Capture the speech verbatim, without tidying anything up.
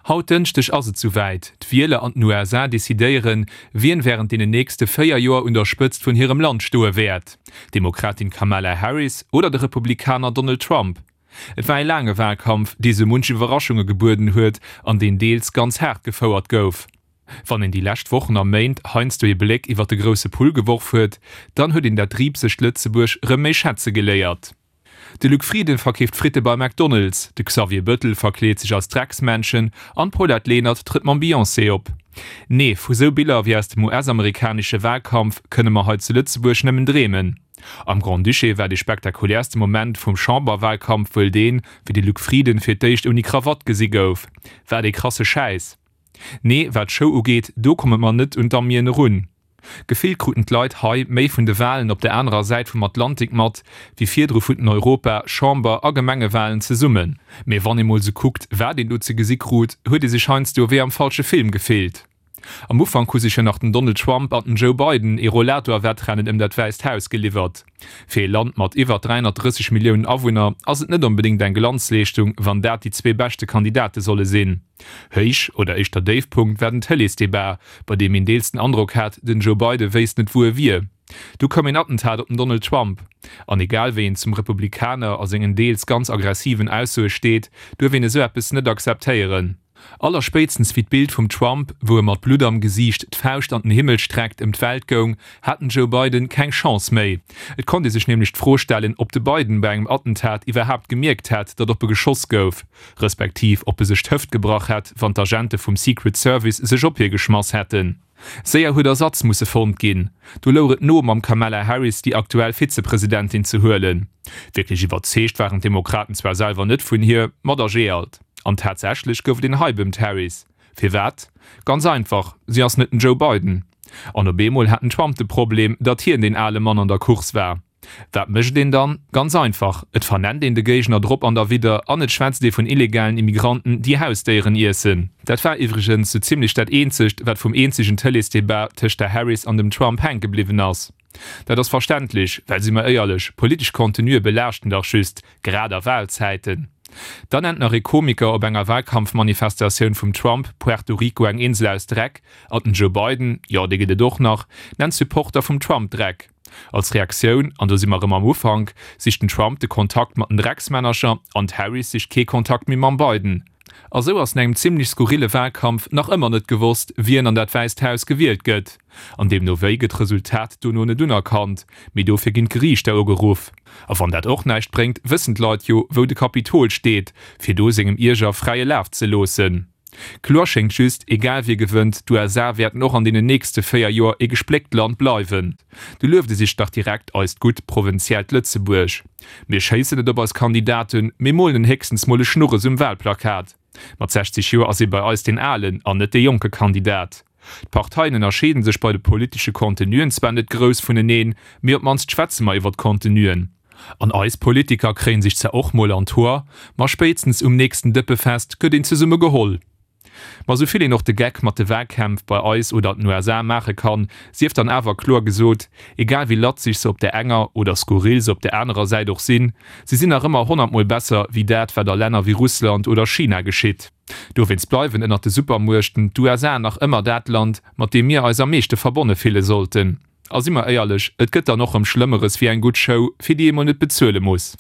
Haut Dënschdeg ass et souwäit, D'Wieler an den U S A decidéieren, wien wärend deenen nächste véier Joer un der Spëtzt vun hirem Land stoe wäert, D'Demokratin Kamala Harris oder de Republikaner Donald Trump. Et war ee laange Walkampf, dee sou munch Iwwerraschunge gebueden huet an deen deels ganz haart gefouert gouf. Wann een déi lescht Wochen a Méint heiansdo ee Bléck iwwer de grousse Pull geworf huet, dann huet een dat driibsegt Lëtzebuerg rëm méi schätze geléiert. De Luc Frieden verkeeft Fritte bei McDonald's, de Xavier Bëttel verkleet sech als Drecksmännchen an d'Paulette Lenert trëtt mam Beyoncé op. Nee, vu sou Biller wéi aus dem U S-amerikanesche Walkampf kënne mer hei zu Lëtzebuerg nëmmen dreemen. Am Grand-Duché war de spektakuläerste Moment vum Chamberwalkampf wuel deen, wéi de Luc Frieden fir d'éischt ouni Krawatt gesi gouf. Wat ee krasse Schäiss. Nee, wat d'Show ugeet, do komme mer net un d'Amien erun. Gefillt kruten d'Leit hei méi vun de Walen op der anerer Säit vum Atlantik mat, wéi virdru vun den Europa-, Chamber a Gemengewalen zesummen. Mee wann ee mol sou kuckt, wat een do ze gesi krut, huet ee sech heiansdo wéi am falsche Film gefillt. Am Ufank hu sech jo nach den Donald Trump an den Joe Biden ee Rollator-Wettrennen ëm dat Wäisst Haus geliwwert. Fir ee Land mat iwwer dräihonnertdrësseg Milliounen Awunner ass et net onbedéngt eng Glanzleeschtung, wann dat déi zwee beschte Kandidate solle sinn. Héich oder éischter Déifpunkt war den Tëleesdebat, bei deem een deels den Androck hat, den Joe Biden wéisst net wou e wier. Du koum een Attentat op den Donald Trump. An egal wéi een zum Republikaner a sengen deels ganz aggressiven Aussoe steet, duerf een esou eppes net akzeptéieren. Allerspéitstens wéi d'Bild vum Trump, wou e mat Blutt am Gesiicht d'Fauscht an den Himmel streckt, ëm d'Welt goung, hat den Joe Biden keng Chance méi. Et konnt ee sech nämlech d'Fro stellen, ob de Biden bei engem Attentat iwwerhaapt gemierkt hätt, datt op e geschoss gouf, respektiv ob e sech d'Hëft gebrach hätt, wann d'Agente vum Secret Service sech op hie geschmass hätten. Séier huet Ersatz musse fonnt ginn. Du louch et no, mam Kamala Harris déi aktuell Vizepresidentin ze huelen. Wierklech iwwerzeegt waren d'Demokraten zwar selwer net vun hir, ma da jee alt. An tatsächlech gouf et een Hype ëm d'Harris. Firwat? Ganz einfach, si ass net den Joe Biden. An op eemol hat den Trump de Problem, datt hien deen ale Mann an der Course war. Wat mécht een dann? Ganz einfach, et vernennt een de Géigner drop an derwidder an et schwätzt ee vun illegalen Immigranten, déi Hausdéieren iessen. Dat war iwwregens sou zimmlech dat eenzegt, wat vum eenzegen Tëleesdebat tëscht der Harris an dem Trump hänke bliwwen ass. Dat ass verständlech, well si mer éierlech, politesch Contenuë belaaschten dach just, grad a Walzäiten. Dann nennt nach ee Komiker op enger Walkampfmanifestatioun vum Trump Puerto Rico eng Insel aus Dreck, an den Joe Biden, jo dee gëtt et och nach, nennt Supporter vum Trump Dreck. Als Reaktioun, an do si mer rëm am Ufank, sicht den Trump de Kontakt mat den Drecksmännercher an d'Harris sicht kee Kontakt méi mam Biden. A sou ass no engem zimmlech skurrille Walkampf nach ëmmer net gewosst, wien an dat Wäisst Haus gewielt gëtt. An deemno wéi gëtt d'Resultat dono net unerkannt, mee dofir ginn d'Geriichter ugeruff. A wann dat och näischt bréngt, wëssen d'Leit jo, wou de Kapitol steet, fir do sengem Ierger fräie Laf ze loossen. Kloer schéngt just, egal wie gewënnt, d'U S A wäerten och an deenen nächste véier Joer ee gespléckt Land bleiwen. Du lueft e sech dach direkt eist gutt provinziellt Lëtzebuerg. Mir schéissen net op eis Kandidaten, mee molen héchstens mol e Schnurres um Walplakat. Mat sechzeg Joer ass ee bei eis deen alen an net dee jonke Kandidat. D'Parteien ënnerscheede sech bei de politesche Contenuen zwar net grouss vuneneen, mee op d'mannst schwätze mer iwwer d'Contenuen. An eis Politiker kréie sech zwar och mol an d'Hoer, ma spéitstens um nächsten Dëppefest gëtt een zesumme geholl. Ma sou vill een och de Geck mat de Walkämpf bei eis oder den U S A maache kann, sief dann awer kloer gesot, egal wéi latzeg se op der enger oder skurril se op der anerer Säit och sinn, se sinn nach ëmmer honnertmol besser wéi dat, wat a Länner wéi Russland oder China geschitt. Dowéinst bleiwen ënnert de Supermuechten d'U S A nach ëmmer dat Land, mat deem mir eis am meeschte verbonne fille sollten. A si mer éierlech, et gëtt dann och rëm Schlëmmeres wéi eng gutt Show, fir déi ee mol net bezuele muss.